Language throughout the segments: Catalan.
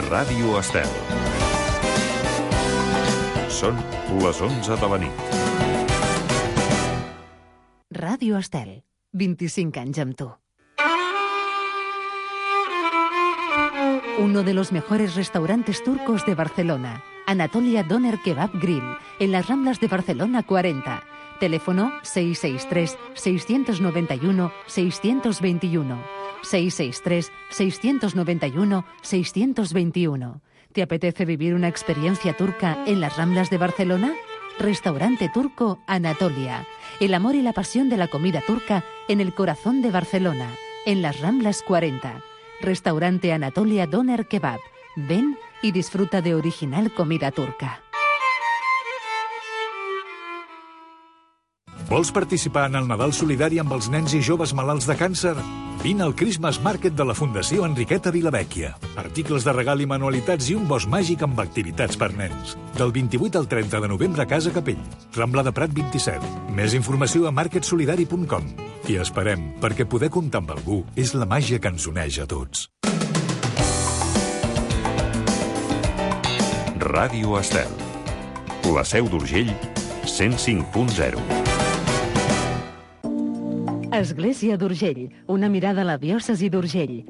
Ràdio Estel. Són les 11 de la nit. Ràdio Estel, 25 anys amb tu. Uno de los mejores restaurantes turcos de Barcelona, Anatolia Doner Kebab Grill, en las Ramblas de Barcelona 40. Teléfono 663-691-621. 663-691-621. ¿Te apetece vivir una experiencia turca en las Ramblas de Barcelona? Restaurante turco Anatolia. El amor y la pasión de la comida turca en el corazón de Barcelona, en las Ramblas 40. Restaurante Anatolia Doner Kebab. Ven y disfruta de original comida turca. Vols participar en el Nadal Solidari amb els nens i joves malalts de càncer? Vine al Christmas Market de la Fundació Enriqueta Vilavecchia. Articles de regal i manualitats i un bosc màgic amb activitats per nens. Del 28 al 30 de novembre a Casa Capell. Rambla de Prat 27. Més informació a marketsolidari.com. I esperem, perquè poder comptar amb algú és la màgia que ens uneix a tots. Ràdio Estel. La Seu d'Urgell, 105.0. Església d'Urgell, una mirada a la diòcesi d'Urgell.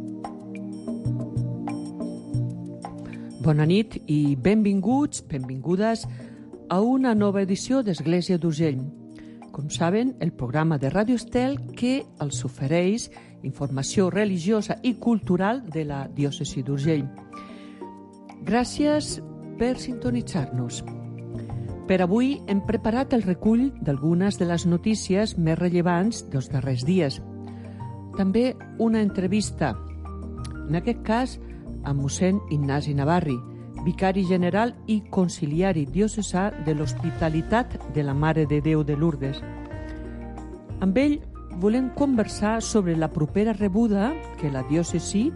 Bona nit i benvinguts, benvingudes a una nova edició d'Església d'Urgell. Com saben, el programa de Ràdio Estel que els ofereix informació religiosa i cultural de la diòcesi d'Urgell. Gràcies per sintonitzar-nos. Per avui hem preparat el recull d'algunes de les notícies més rellevants dels darrers dies. També una entrevista, en aquest cas amb mossèn Ignasi Navarri, vicari general i conciliari diocesà de l'Hospitalitat de la Mare de Déu de Lourdes. Amb ell volem conversar sobre la propera rebuda que la diòcesi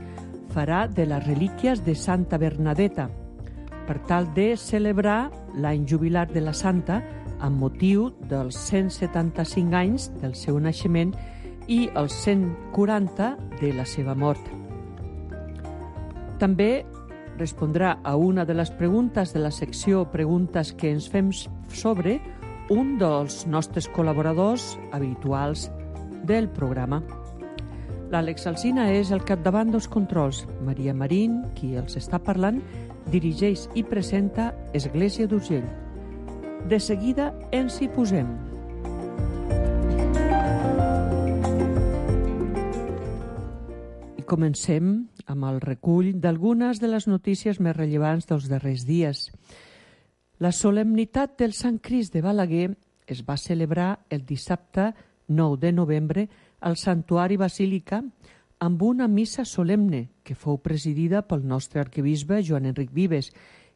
farà de les relíquies de Santa Bernadeta, per tal de celebrar l'any jubilar de la Santa amb motiu dels 175 anys del seu naixement i els 140 de la seva mort. També respondrà a una de les preguntes de la secció Preguntes que ens fem sobre un dels nostres col·laboradors habituals del programa. L'Àlex Alsina és el capdavant dels controls. Maria Marín, qui els està parlant, dirigeix i presenta Església d'Urgell. De seguida ens hi posem. I comencem amb el recull d'algunes de les notícies més rellevants dels darrers dies. La solemnitat del Sant Crist de Balaguer es va celebrar el dissabte 9 de novembre al Santuari Basílica amb una missa solemne que fou presidida pel nostre arquebisbe Joan Enric Vives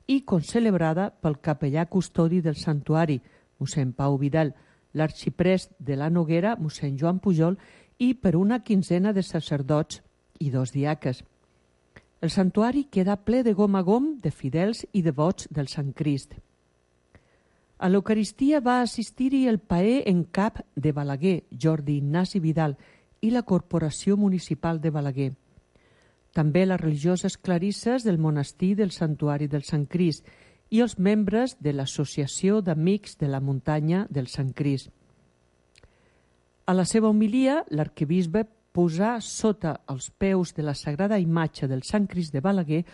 i concelebrada pel capellà custodi del santuari, mossèn Pau Vidal, l'arxiprest de la Noguera, mossèn Joan Pujol, i per una quinzena de sacerdots i 2 diaques. El santuari queda ple de gom a gom de fidels i devots del Sant Crist. A l'Eucaristia va assistir-hi el paer en cap de Balaguer, Jordi Ignasi Vidal, i la Corporació Municipal de Balaguer. També les religioses clarisses del monestir del Santuari del Sant Crist i els membres de l'Associació d'Amics de la Muntanya del Sant Crist. A la seva homilia, l'arquebisbe posà sota els peus de la sagrada imatge del Sant Crist de Balaguer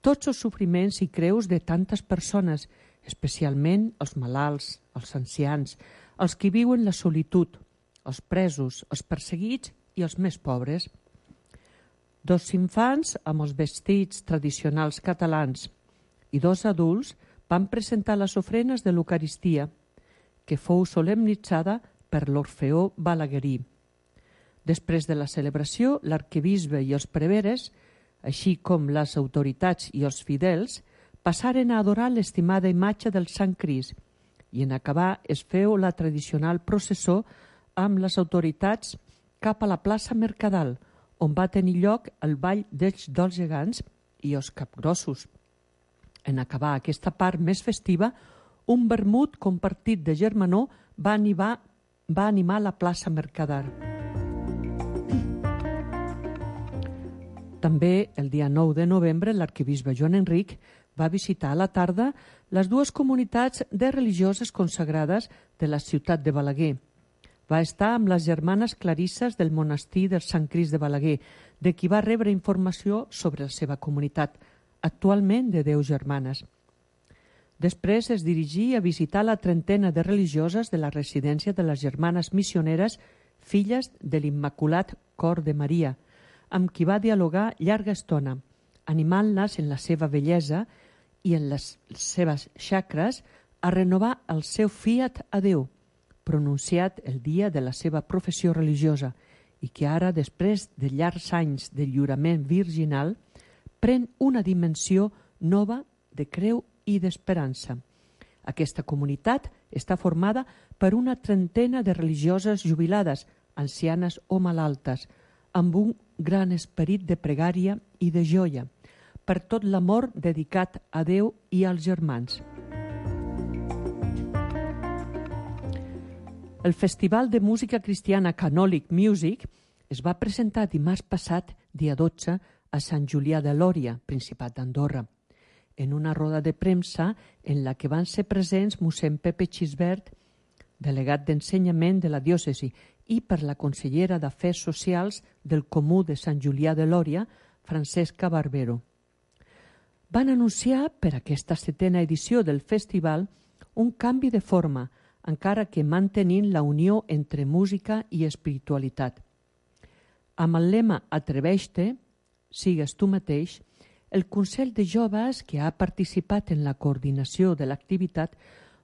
tots els sofriments i creus de tantes persones, especialment els malalts, els ancians, els que viuen la solitud, els presos, els perseguits i els més pobres. 2 infants amb els vestits tradicionals catalans i 2 adults van presentar les ofrenes de l'Eucaristia, que fou solemnitzada per l'Orfeó Balaguerí. Després de la celebració, l'arquebisbe i els preveres, així com les autoritats i els fidels, passaren a adorar l'estimada imatge del Sant Crist i en acabar es feu la tradicional processó amb les autoritats cap a la plaça Mercadal, on va tenir lloc el ball dels gegants i els capgrossos. En acabar aquesta part més festiva, un vermut compartit de germanor va animar la plaça Mercadal. També el dia 9 de novembre l'arquebisbe Joan Enric va visitar a la tarda les dues comunitats de religioses consagrades de la ciutat de Balaguer. Va estar amb les germanes clarisses del monestir del Sant Crist de Balaguer, de qui va rebre informació sobre la seva comunitat, actualment de 10 germanes. Després es dirigí a visitar la trentena de religioses de la residència de les germanes missioneres filles de l'Immaculat Cor de Maria, amb qui va dialogar llarga estona, animant-les en la seva bellesa i en les seves xacres a renovar el seu fiat a Déu, pronunciat el dia de la seva professió religiosa i que ara, després de llargs anys de lliurament virginal, pren una dimensió nova de creu i d'esperança. Aquesta comunitat està formada per una trentena de religioses jubilades, ancianes o malaltes, amb un gran esperit de pregària i de joia, per tot l'amor dedicat a Déu i als germans. El Festival de Música Cristiana Canòlic Music es va presentar dimarts passat, dia 12, a Sant Julià de Lòria, Principat d'Andorra, en una roda de premsa en la que van ser presents mossèn Pepe Xisbert, delegat d'ensenyament de la diòcesi, i per la consellera d'Afers Socials del Comú de Sant Julià de Lòria, Francesca Barbero. Van anunciar per aquesta 7a edició del festival un canvi de forma, encara que mantenint la unió entre música i espiritualitat. Amb el lema Atreveix-te, sigues tu mateix, el Consell de Joves, que ha participat en la coordinació de l'activitat,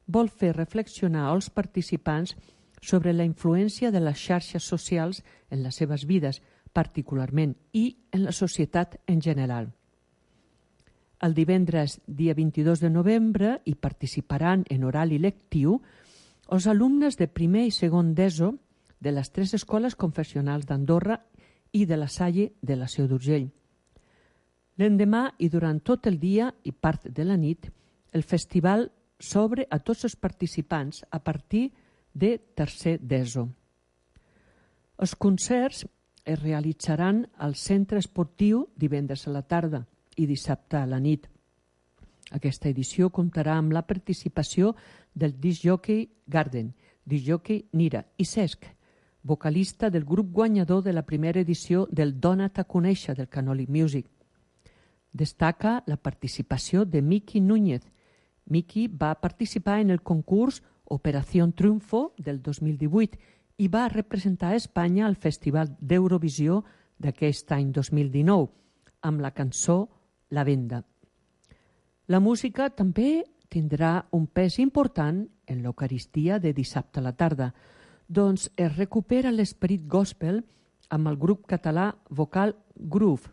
vol fer reflexionar als participants sobre la influència de les xarxes socials en les seves vides, particularment, i en la societat en general. El divendres, dia 22 de novembre, hi participaran en oral i lectiu els alumnes de primer i segon d'ESO de les 3 escoles confessionals d'Andorra i de la Salle de la Seu d'Urgell. L'endemà i durant tot el dia i part de la nit, el festival s'obre a tots els participants a partir de tercer d'ESO. Els concerts es realitzaran al centre esportiu divendres a la tarda i dissabte a la nit. Aquesta edició comptarà amb la participació del discjòquei Garden, discjòquei Nira i Cesc, vocalista del grup guanyador de la primera edició del Dona't a conèixer del Canòlic Music. Destaca la participació de Miki Núñez. Miki va participar en el concurs Operación Triunfo del 2018 i va representar a Espanya al Festival d'Eurovisió d'aquest any 2019 amb la cançó La Venda. La música també tindrà un pes important en l'Eucaristia de dissabte a la tarda, doncs es recupera l'esperit gospel amb el grup català vocal Groove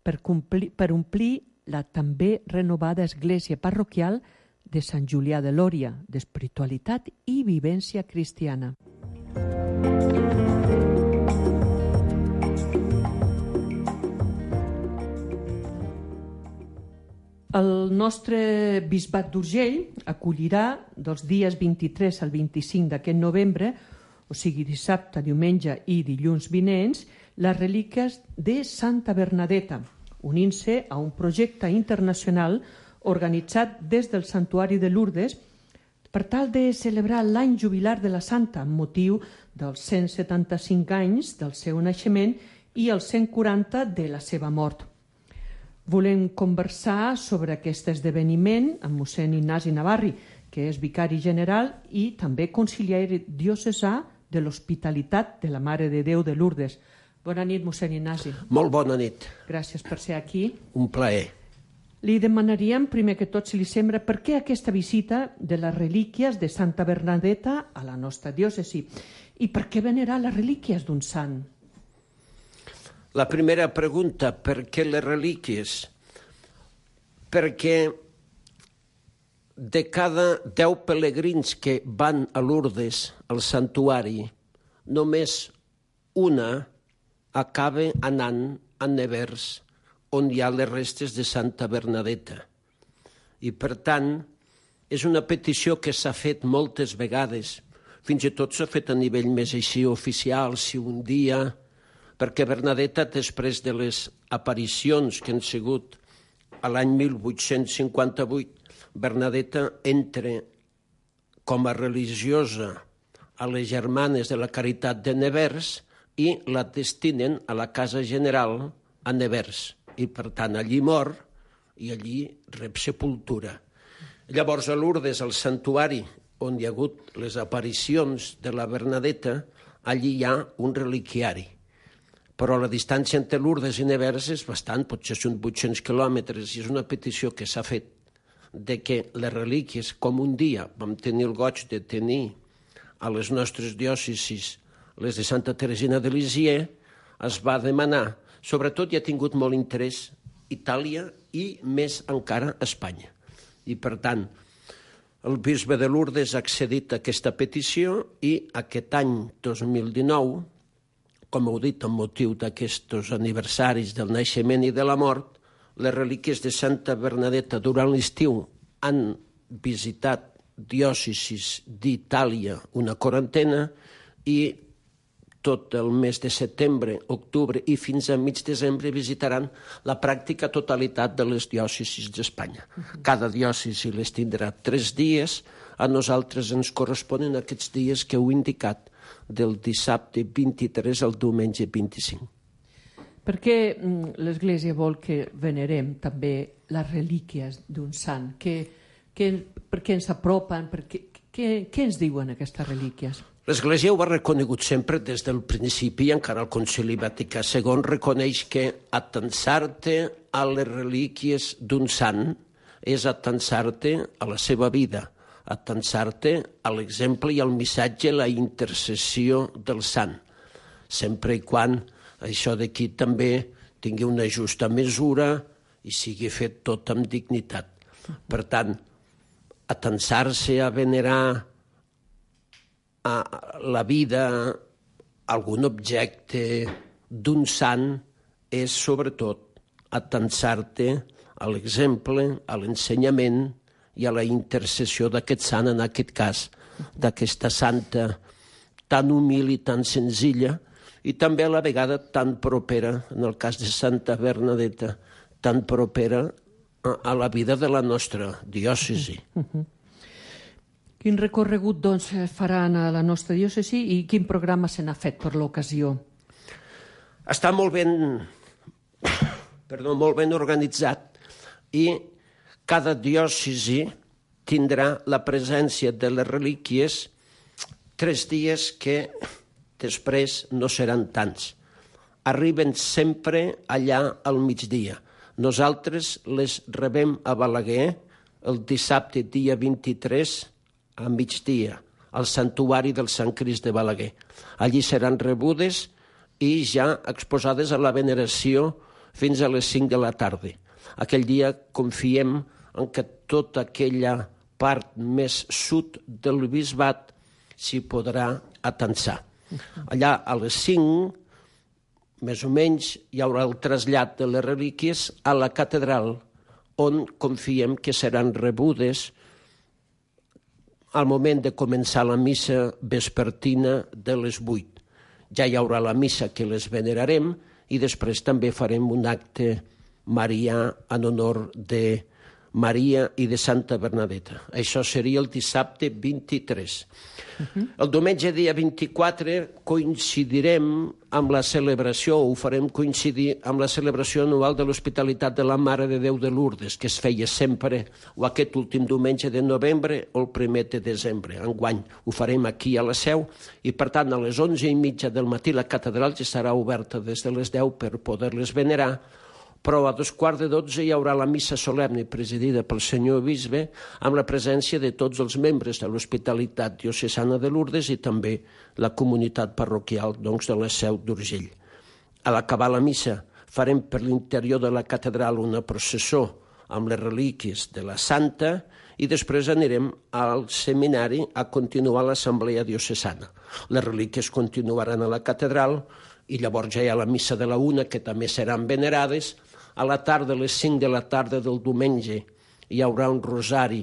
per omplir la també renovada església parroquial de Sant Julià de Lòria, d'espiritualitat i vivència cristiana. El nostre bisbat d'Urgell acollirà dels dies 23 al 25 d'aquest novembre, o sigui dissabte, diumenge i dilluns vinents, les relíquies de Santa Bernadeta, unint-se a un projecte internacional organitzat des del Santuari de Lourdes per tal de celebrar l'any jubilar de la Santa amb motiu dels 175 anys del seu naixement i els 140 de la seva mort. Volem conversar sobre aquest esdeveniment amb mossèn Ignasi Navarri, que és vicari general i també conciliari diocesà de l'Hospitalitat de la Mare de Déu de Lourdes. Bona nit, mossèn Ignasi. Molt bona nit. Gràcies per ser aquí. Un plaer. Li demanaríem, primer que tot, si li sembla, per què aquesta visita de les relíquies de Santa Bernadeta a la nostra diòcesi i per què venerar les relíquies d'un sant? La primera pregunta, per què les relíquies? Perquè de cada 10 pelegrins que van a Lourdes, al santuari, només una acaba anant a Nevers, on hi ha les restes de Santa Bernadeta. I, per tant, és una petició que s'ha fet moltes vegades. Fins i tot s'ha fet a nivell més així oficial, si un dia perquè Bernadeta, després de les aparicions que han sigut a l'any 1858, Bernadeta entra com a religiosa a les Germanes de la Caritat de Nevers i la destinen a la Casa General a Nevers. I, per tant, allí mor i allí rep sepultura. Llavors, a Lourdes, al santuari on hi ha hagut les aparicions de la Bernadeta, allí hi ha un reliquiari. Però la distància entre Lourdes i Nevers és bastant, potser són 800 quilòmetres, i és una petició que s'ha fet de que les relíquies, com un dia vam tenir el goig de tenir a les nostres diòcesis, les de Santa Teresina de Lisieux, es va demanar, sobretot hi ha tingut molt interès Itàlia i més encara Espanya. I per tant, el bisbe de Lourdes ha accedit a aquesta petició i aquest any 2019, com heu dit, amb motiu d'aquests aniversaris del naixement i de la mort, les relíquies de Santa Bernadeta durant l'estiu han visitat diòcesis d'Itàlia una quarantena i tot el mes de setembre, octubre i fins a mig desembre visitaran la pràctica totalitat de les diòcesis d'Espanya. Cada diòcesi les tindrà 3 dies, a nosaltres ens corresponen aquests dies que heu indicat, del dissabte 23 al diumenge 25. Per què l'Església vol que venerem també les relíquies d'un sant? Per què ens apropen? Què ens diuen aquestes relíquies? L'Església ho ha reconegut sempre des del principi, encara el Concili Vaticà II reconeix que atansar-te a les relíquies d'un sant és atansar-te a la seva vida, atansar-te a l'exemple i al missatge, la intercessió del sant, sempre i quan això d'aquí també tingui una justa mesura i sigui fet tot amb dignitat. Per tant, atansar-se a venerar a la vida, algun objecte d'un sant, és sobretot atansar-te a l'exemple, a l'ensenyament i a la intercessió d'aquest sant, en aquest cas, d'aquesta santa tan humil i tan senzilla, i també a la vegada tan propera, en el cas de Santa Bernadeta, tan propera a la vida de la nostra diòcesi. Quin recorregut doncs, faran a la nostra diòcesi i quin programa se n'ha fet per l'ocasió? Està molt ben organitzat i cada diòcesi tindrà la presència de les relíquies 3 dies que després no seran tants. Arriben sempre allà al migdia. Nosaltres les rebem a Balaguer el dissabte dia 23 a migdia, al santuari del Sant Crist de Balaguer. Allí seran rebudes i ja exposades a la veneració fins a les 5 de la tarda. Aquell dia confiem en què tota aquella part més sud del bisbat s'hi podrà atansar. Allà a les 5, més o menys, hi haurà el trasllat de les relíquies a la catedral, on confiem que seran rebudes al moment de començar la missa vespertina de les 8. Ja hi haurà la missa que les venerarem i després també farem un acte marià en honor de Maria i de Santa Bernadeta. Això seria el dissabte 23. El diumenge dia 24 coincidirem amb la celebració, ho farem coincidir amb la celebració anual de l'Hospitalitat de la Mare de Déu de Lourdes, que es feia sempre o aquest últim diumenge de novembre o el 1 de desembre. Enguany ho farem aquí a la Seu i, per tant, a les 11:30 del matí la catedral ja estarà oberta des de les 10 per poder-les venerar, però a 11:15 hi haurà la missa solemne presidida pel senyor bisbe amb la presència de tots els membres de l'Hospitalitat Diocesana de Lourdes i també la comunitat parroquial de la Seu d'Urgell. A l'acabar la missa farem per l'interior de la catedral una processó amb les relíquies de la Santa i després anirem al seminari a continuar l'assemblea diocesana. Les relíquies continuaran a la catedral i llavors ja hi ha la missa de la 1, que també seran venerades. A la tarda, a les 5 de la tarda del diumenge, hi haurà un rosari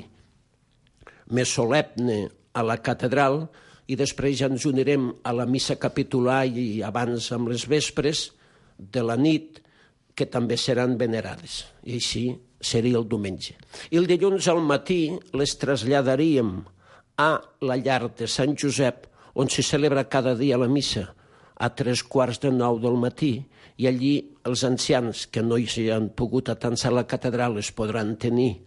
més solemne a la catedral i després ja ens unirem a la missa capitular i abans amb les vespres de la nit, que també seran venerades. I així seria el diumenge. I el dilluns al matí les traslladaríem a la llar de Sant Josep, on s'hi celebra cada dia la missa, a 8:45 del matí, i allí els ancians que no hi han pogut atansar a la catedral es podran tenir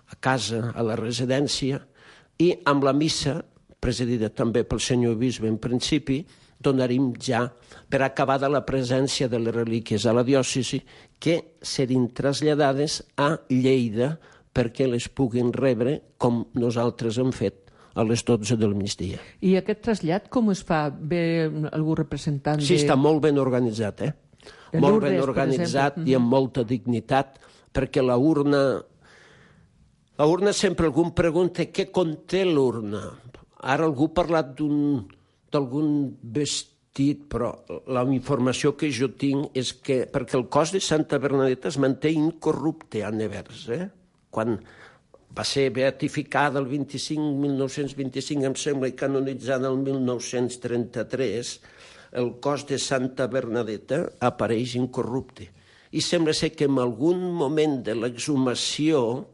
a casa, a la residència, i amb la missa, presidida també pel senyor bisbe en principi, donaríem ja per acabada la presència de les relíquies a la diòcesi, que serien traslladades a Lleida perquè les puguin rebre com nosaltres hem fet a les 12 del migdia. I aquest trasllat com es fa? Ve algú representant de... Sí, està molt ben organitzat, De molt Lourdes, ben organitzat per i amb molta dignitat, perquè la urna sempre algú em pregunta què conté l'urna. Ara algú ha parlat d'algun vestit, però la informació que jo tinc és que, perquè el cos de Santa Bernadeta es manté incorrupte a Nevers, quan va ser beatificada el 1925, em sembla, i canonitzada el 1933, el cos de Santa Bernadeta apareix incorrupte. I sembla ser que en algun moment de l'exhumació,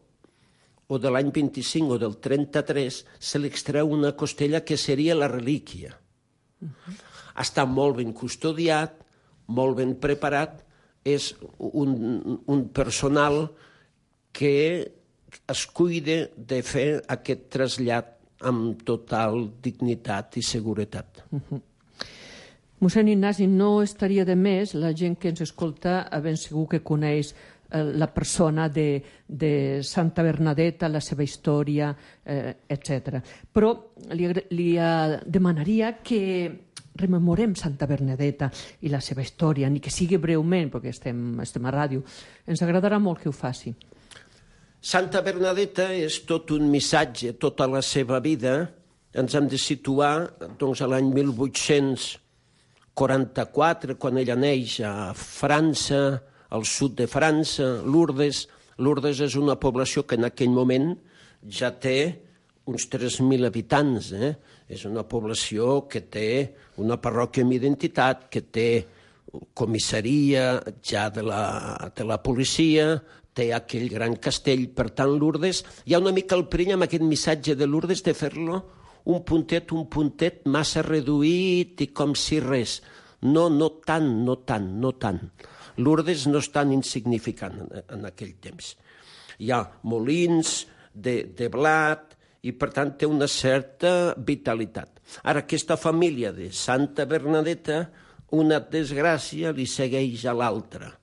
o de l'any 25 o del 33, se li extreu una costella que seria la relíquia. Està molt ben custodiat, molt ben preparat, és un personal que es cuida de fer aquest trasllat amb total dignitat i seguretat. Mossèn Ignasi, no estaria de més la gent que ens escolta, ben segur que coneix la persona de Santa Bernadeta, la seva història, etc. Però li demanaria que rememorem Santa Bernadeta i la seva història, ni que sigui breument, perquè estem a ràdio. Ens agradarà molt que ho faci. Santa Bernadeta és tot un missatge, tota la seva vida. Ens hem de situar doncs, a l'any 1844, quan ella neix a França, al sud de França, Lourdes. Lourdes és una població que en aquell moment ja té uns 3.000 habitants. És una població que té una parròquia amb identitat, que té comissaria ja de la policia, té aquell gran castell. Per tant, Lourdes, hi ha una mica el perill amb aquest missatge de Lourdes de fer-lo un puntet massa reduït i com si res. No tant. Lourdes no és tan insignificant en aquell temps. Hi ha molins de blat i, per tant, té una certa vitalitat. Ara, aquesta família de Santa Bernadeta, una desgràcia li segueix a l'altra.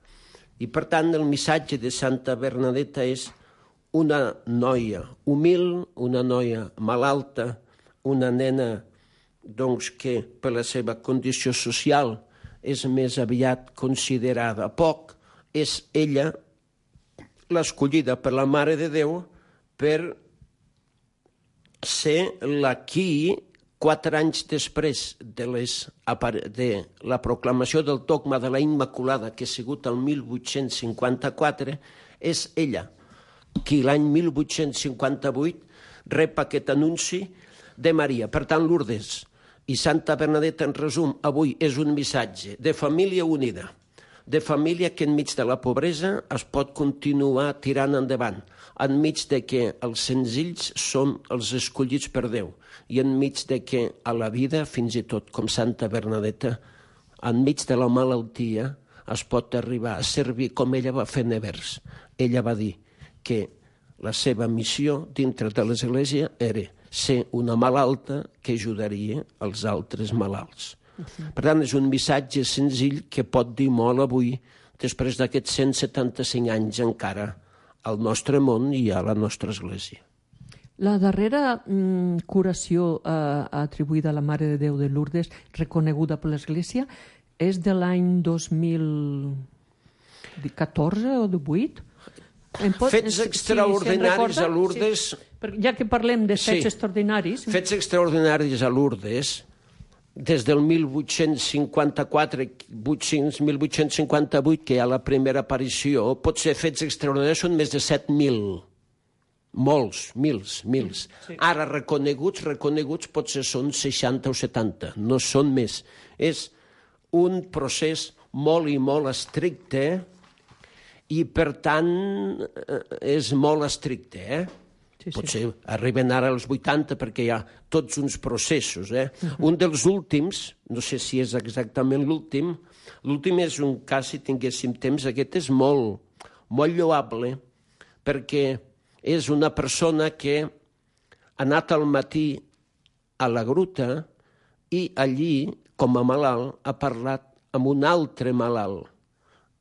I, per tant, el missatge de Santa Bernadeta és una noia humil, una noia malalta, una nena doncs, que per la seva condició social és més aviat considerada poc. És ella l'escollida per la Mare de Déu per ser la qui, 4 anys després de la proclamació del dogma de la Immaculada, que ha sigut el 1854, és ella qui l'any 1858 rep aquest anunci de Maria. Per tant, Lourdes i Santa Bernadeta, en resum, avui és un missatge de família unida, de família que enmig de la pobresa es pot continuar tirant endavant, enmig de que els senzills són els escollits per Déu i enmig de que a la vida, fins i tot com Santa Bernadeta, enmig de la malaltia es pot arribar a servir com ella va fer Nevers. Ella va dir que la seva missió dintre de l'Església era ser una malalta que ajudaria els altres malalts. Per tant, és un missatge senzill que pot dir molt avui, després d'aquests 175 anys encara, al nostre món i a la nostra Església. La darrera curació atribuïda a la Mare de Déu de Lourdes, reconeguda per l'Església, és de l'any 2014 o 2018? Fets extraordinaris a Lourdes... Ja que parlem de fets extraordinaris... Fets extraordinaris a Lourdes, des del 1854-1858, que hi ha la primera aparició, pot ser fets extraordinaris, són més de 7.000. molts, mils. Ara reconeguts potser són 60 o 70, no són més. És un procés molt i molt estricte i, per tant, és molt estricte, Potser arriben ara als 80 perquè hi ha tots uns processos, Un dels últims, no sé si és exactament l'últim és un cas, si tinguéssim temps, aquest és molt lloable, perquè és una persona que ha anat al matí a la gruta i allí, com a malalt, ha parlat amb un altre malalt.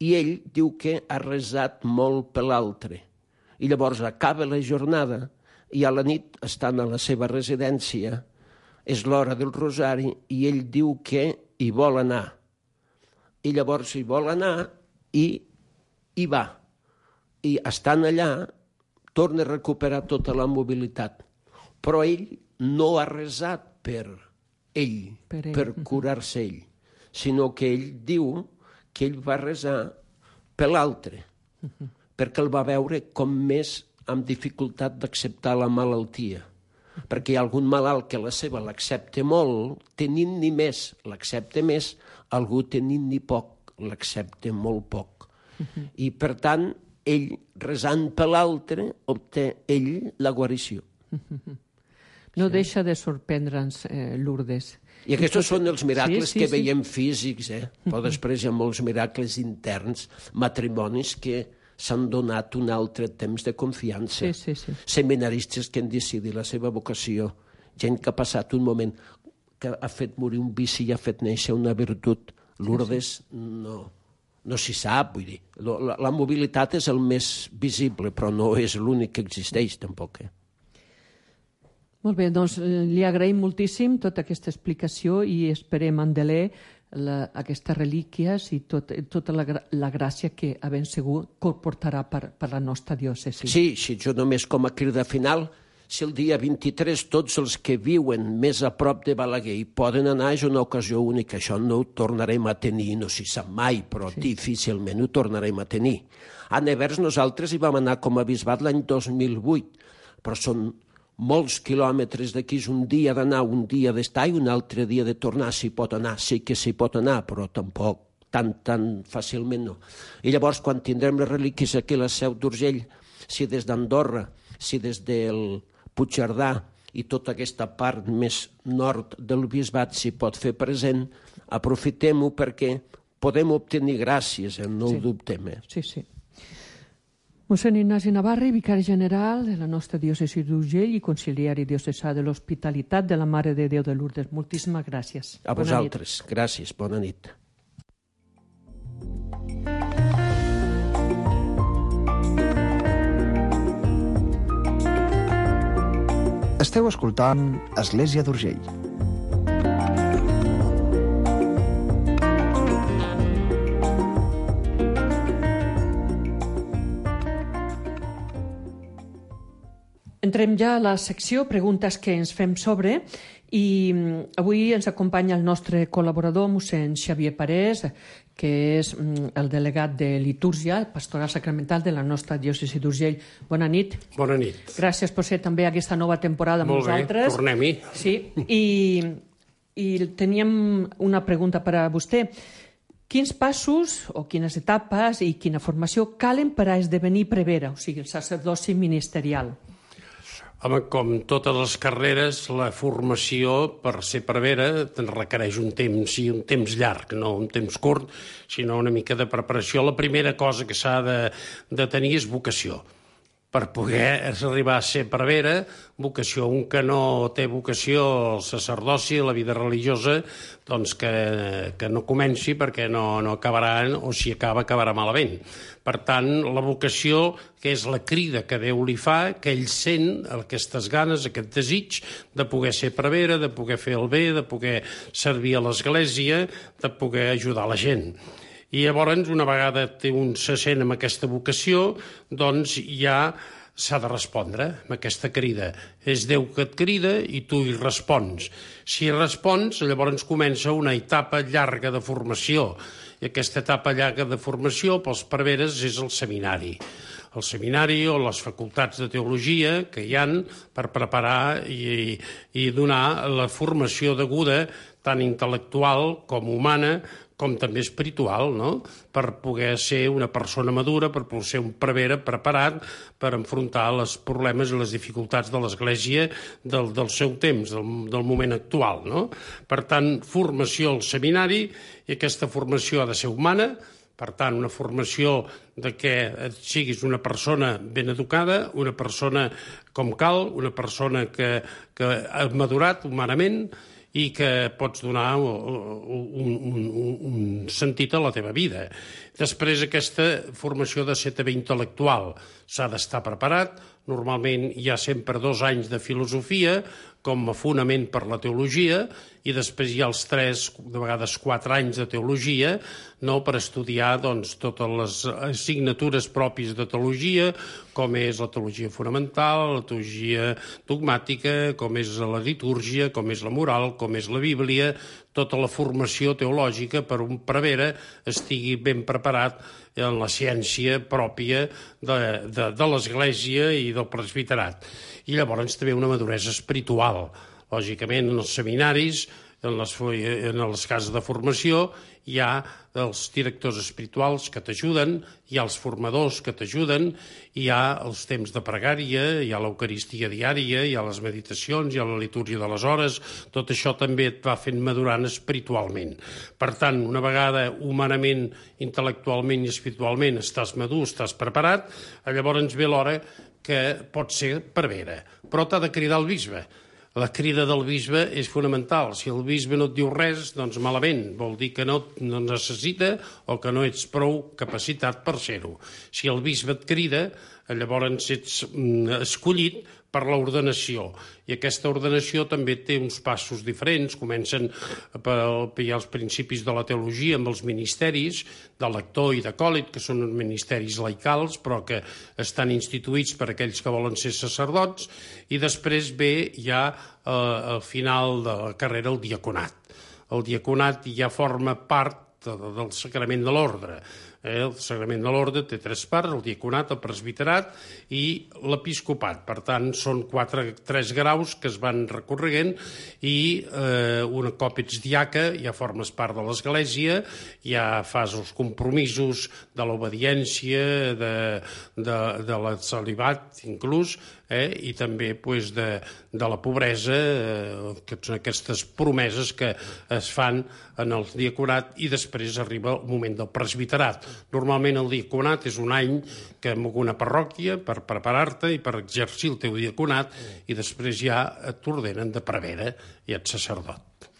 I ell diu que ha resat molt per l'altre. I llavors acaba la jornada i a la nit, estant a la seva residència, és l'hora del rosari i ell diu que hi vol anar. I llavors hi vol anar i hi va. I estant allà, torna a recuperar tota la mobilitat. Però ell no ha resat per ell, per curar-se ell, sinó que ell diu que ell va resar per l'altre, perquè el va veure com més amb dificultat d'acceptar la malaltia. Perquè hi ha algun malalt que la seva l'accepta molt, tenint-n'hi més l'accepta més, algú tenint-n'hi poc l'accepta molt poc. I per tant, ell resant per l'altre obté ell la guarició. No deixa de sorprendre'ns, Lourdes. I aquests són els miracles que veiem físics, però després hi ha molts miracles interns, matrimonis que s'han donat un altre temps de confiança. Seminaristes que han decidit la seva vocació, gent que ha passat un moment que ha fet morir un vici i ha fet néixer una virtut. Lourdes no s'hi sap, vull dir. La mobilitat és el més visible, però no és l'únic que existeix, tampoc. Molt bé, doncs li agraïm moltíssim tota aquesta explicació i esperem endeler aquestes relíquies i tota la gràcia que a ben segur portarà per la nostra diòcesi. Sí, jo només com a crida final, si el dia 23 tots els que viuen més a prop de Balaguer hi poden anar, és una ocasió única. Això no ho tornarem a tenir, no s'hi sap mai, però difícilment ho tornarem a tenir. A Nevers nosaltres hi vam anar com a bisbat l'any 2008, però són molts quilòmetres d'aquí, és un dia d'anar, un dia d'estar i un altre dia de tornar. S'hi pot anar, sí que s'hi pot anar, però tampoc tan fàcilment no. I llavors, quan tindrem les relíquies aquí a la Seu d'Urgell, si des d'Andorra, si des del Puigcerdà i tota aquesta part més nord del bisbat s'hi pot fer present, aprofitem-ho perquè podem obtenir gràcies, no ho dubtem. Sí. Mossèn Ignasi Navarre, vicari general de la nostra diòcesi d'Urgell i conciliari diocesà de l'Hospitalitat de la Mare de Déu de Lourdes. Moltíssimes gràcies. A vosaltres. Gràcies. Bona nit. Esteu escoltant Església d'Urgell. Entrem ja a la secció Preguntes que ens fem sobre i avui ens acompanya el nostre col·laborador, mossèn Xavier Parés, que és el delegat de litúrgia, pastoral sacramental de la nostra diòcesi d'Urgell. Bona nit. Bona nit. Gràcies per ser també aquesta nova temporada amb nosaltres. Molt bé, tornem-hi. Sí, i teníem una pregunta per a vostè. Quins passos o quines etapes i quina formació calen per a esdevenir prevere, o sigui, el sacerdoci ministerial? Home, com totes les carreres, la formació per ser prevere requereix un temps llarg, no un temps curt, sinó una mica de preparació. La primera cosa que s'ha de tenir és vocació. Per poder arribar a ser prevere, vocació. Un que no té vocació al sacerdoci, a la vida religiosa, doncs que no comenci perquè no acabarà, o si acabarà malament. Per tant, la vocació, que és la crida que Déu li fa, que ell sent aquestes ganes, aquest desig de poder ser prevere, de poder fer el bé, de poder servir a l'Església, de poder ajudar la gent. I llavors, una vegada un se sent amb aquesta vocació, doncs ja s'ha de respondre amb aquesta crida. És Déu que et crida i tu hi respons. Si hi respons, llavors comença una etapa llarga de formació. I aquesta etapa llarga de formació pels preveres és el seminari. el seminari o les facultats de teologia que hi han per preparar i donar la formació deguda, tant intel·lectual com humana, com també espiritual, no? Per poder ser una persona madura, per poder ser un prevere preparat per enfrontar els problemes i les dificultats de l'Església del seu temps, del moment actual, no? Per tant, formació al seminari, i aquesta formació ha de ser humana, per tant, una formació de que siguis una persona ben educada, una persona com cal, una persona que ha madurat humanament, i que pots donar un sentit a la teva vida. Després, aquesta formació de ser també intel·lectual. S'ha d'estar preparat. Normalment hi ha sempre 2 anys de filosofia com a fonament per la teologia, i després hi ha els 3, de vegades 4 anys de teologia, no, per estudiar totes les assignatures pròpies de teologia, com és la teologia fonamental, la teologia dogmàtica, com és la litúrgia, com és la moral, com és la Bíblia, tota la formació teològica per un prevere estigui ben preparat en la ciència pròpia de l'Església i del presbiterat. I llavors també una maduresa espiritual. Lògicament, en els seminaris, en les cases de formació, hi ha els directors espirituals que t'ajuden, hi ha els formadors que t'ajuden, hi ha els temps de pregària, hi ha l'eucaristia diària, hi ha les meditacions, hi ha la litúrgia de les hores, tot això també et va fent madurant espiritualment. Per tant, una vegada humanament, intel·lectualment i espiritualment estàs madur, estàs preparat, llavors ve l'hora que pot ser prevere, però t'ha de cridar el bisbe. La crida del bisbe és fonamental. Si el bisbe no et diu res, doncs malament. Vol dir que no necessita o que no ets prou capacitat per ser-ho. Si el bisbe et crida, llavors ets escollit per l'ordenació. I aquesta ordenació també té uns passos diferents. Comencen per els principis de la teologia amb els ministeris de lector i d'acòlit, que són uns ministeris laicals, però que estan instituïts per aquells que volen ser sacerdots, i després ve ja al final de la carrera el diaconat. El diaconat ja forma part del sacrament de l'ordre. El sagrament de l'ordre té 3 parts, el diaconat, el presbiterat i l'episcopat. Per tant, són 3 graus que es van recorregent, i un cop ets diaca ja formes part de l'Església, ja fas els compromisos de l'obediència, de la celibat inclús, i també de la pobresa, que són aquestes promeses que es fan en el diaconat, i després arriba el moment del presbiterat. Normalment el diaconat és un any que en una parròquia per preparar-te i per exercir el teu diaconat, i després ja t'ordenen de prevere i ets sacerdot.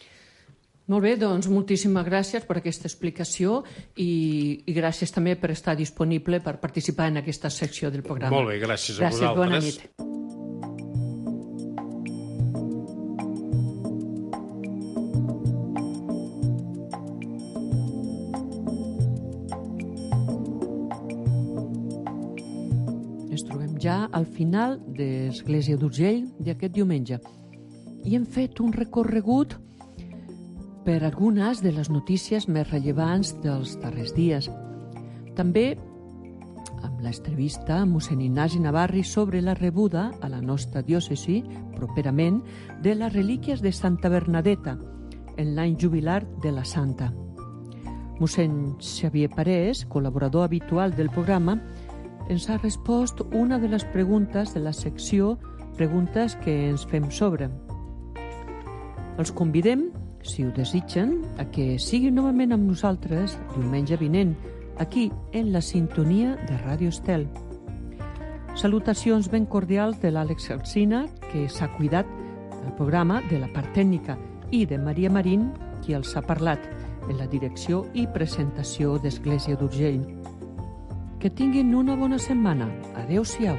Molt bé, doncs moltíssimes gràcies per aquesta explicació i gràcies també per estar disponible per participar en aquesta secció del programa. Molt bé, gràcies a vosaltres. Bona nit. Ens trobem ja al final d'Església d'Urgell d'aquest diumenge i hem fet un recorregut per algunes de les notícies més rellevants dels darrers dies. També amb l'entrevista a mossèn Ignasi Navarri sobre la rebuda a la nostra diòcesi, properament, de les relíquies de Santa Bernadeta, en l'any jubilar de la Santa. Mossèn Xavier Parés, col·laborador habitual del programa, ens ha respost una de les preguntes de la secció Preguntes que ens fem sobre. Els convidem, si ho desitgen, a que siguin novament amb nosaltres diumenge vinent, aquí, en la sintonia de Ràdio Estel. Salutacions ben cordials de l'Àlex Alsina, que s'ha cuidat del programa, de la part tècnica, i de Maria Marín, qui els ha parlat, en la direcció i presentació d'Església d'Urgell. Que tinguin una bona setmana. Adéu-siau.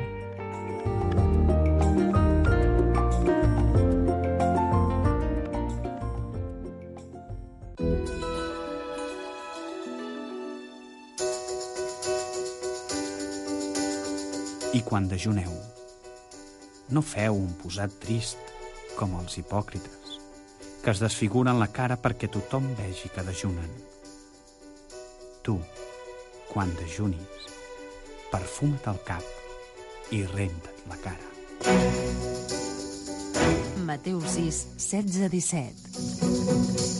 I quan dejuneu, no feu un posat trist com els hipòcrites, que es desfiguren la cara perquè tothom vegi que dejunen. Tu, quan dejunis, perfuma't el cap i renta't la cara. Mateu 6, 16-17.